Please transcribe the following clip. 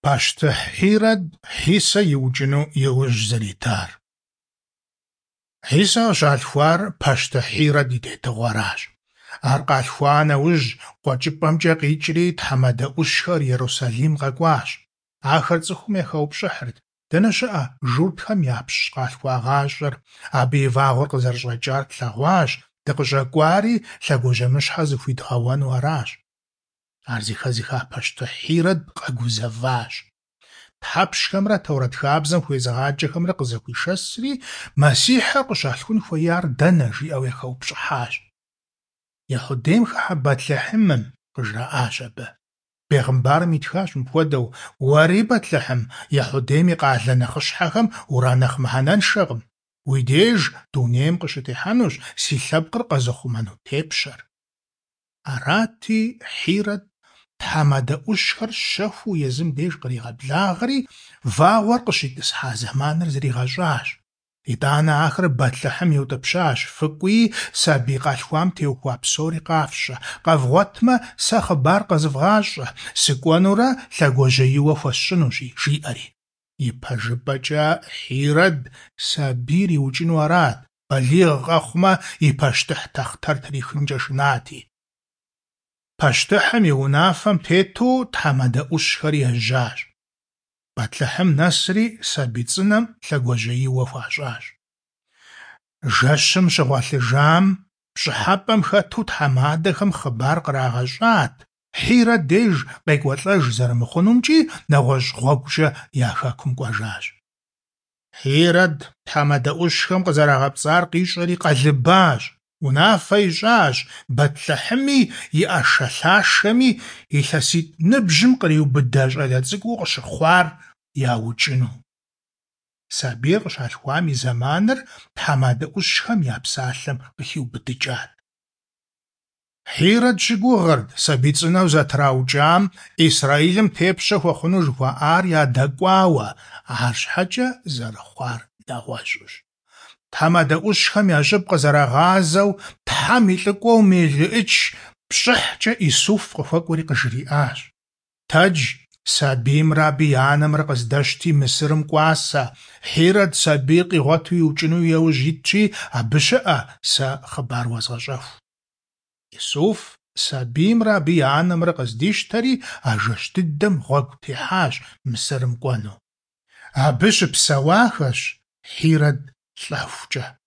Пащтыхь Хьирэд Хьисэ иукӏыну и ужь зэритар. Хьисэ къыщалъхуар пащтыхь Хьирэд и тетыгъуэращ. Ар къалъхуа нэужь, къуэкӏыпӏэмкӏэ къикӏри тхьэмадэ ӏущхэр Ерусалим къэкӏуащ. Ахэр цӏыхум яхэупщӏыхьырт: Дэнэ щыӏэ журтхэм япщ къалъхуагъащӏэр? Абы и вагъуэр къызэрыщӏэкӏар тлъэгъуащ, дыкъыщӏэкӏуари лъэгуажьэмыщхьэ зыхуидгъэуэну аращ. Ар зэхэзыха пащтыхь Хьирэд къэгузэващ. Тхьэпщхэмрэ Торэт хабзэм хуезыгъаджэхэмрэ къызэхуишэсри, Мэссихьыр къыщалъхун хуеяр дэнэ, жиӏэу яхэупщӏыхьащ. Ехьудейм хыхьэ Бэтлъэхьымым, къыжраӏащ абы. Бегъымбарым итхащ мыпхуэдэу: Уэри, Бэтлъэхьым, Ехьудейм и къалэ нэхъыщхьэхэм уранэхъ мыхьэнэншэкъым. Уи деж дунейм къыщытехьэнущ си лъэпкъыр къэзыхъумэну тепщэр. Арати, Хьирэд тхьэмадэ ӏущхэр щэхуу езым деж къригъэблагъэри, вагъуэр къыщитӏысхьа зэманыр зригъэщӏащ. Итӏанэ ахэр Бэтлъэхьым иутӏыпщащ: Фыкӏуи, сабий къалъхуам теухуа псори къафщӏэ, къэвгъуэтмэ, сэ хъыбар къэзывгъащӏэ, сыкӏуэнурэ лъэгуажьэиуэ хуэсщӏынущи, жиӏэри. Ипэжыпӏэкӏэ Хьирэд сабийр иукӏыну арат, балигъ къэхъумэ, и пащтыхь тахътэр трихынкӏэ шынати. Пащтыхьым и унафэм тету тхьэмадэ ӏущхэр ежьащ. Бэтлъэхьым нэсри сабий цӏынэм лъэгуажьэиуэ хуащӏащ. Жэщым щыгъуэлъыжам пщӏыхьэпӏэм хэту тхьэмадэхэм хъыбар кърагъэщӏат, Хьирэд деж къекӏуэлӏэж зэрымыхъунумкӏи нэгъуэщӏ гъуэгукӏэ я хэкум кӏуэжащ. Хьирэд тхьэмадэ ӏущхэм къызэрагъэпцӏар къищӏэри къэлыбащ, унафэ ищӏащ Бэтлъэхьыми и ӏэшэлъашэми илъэситӏ ныбжьым къриубыдэ щӏалэ цӏыкӏуу къыщыхъуар яукӏыну. Сабийр къыщалъхуам и зэманыр тхьэмадэ ӏущхэм я псалъэм къыхиубыдыкӏат. Хьирэд щыгугъырт сабий цӏынэу зэтраукӏам Исраилым тепщэ хуэхъуну жыхуаӏар ядэкӏуауэ, арщхьэкӏэ зэрыхъуар нэгъуэщӏущ. Тхьэмадэ ӏущхэм я щӏыб къызэрагъазэу, Тхьэм и лӏыкӏуэу мелыӏыч пщӏыхькӏэ Исуф къыхуэкӏуэри къыжриӏащ: Тэдж, сабиймрэ абы и анэмрэ къыздэщти, Мысырым кӏуасэ, Хьирэд сабийр къигъуэту иукӏыну яужь итщи, абы щыӏэ, сэ хъыбар уэзгъэщӏэху. Исуф сабиймрэ абы и анэмрэ къыздищтэри, а жэщ дыдэм гъуэгу техьащ Мысырым кӏуэну. Абы щыпсэуахэщ Хьирэд лӏэхукӏэ.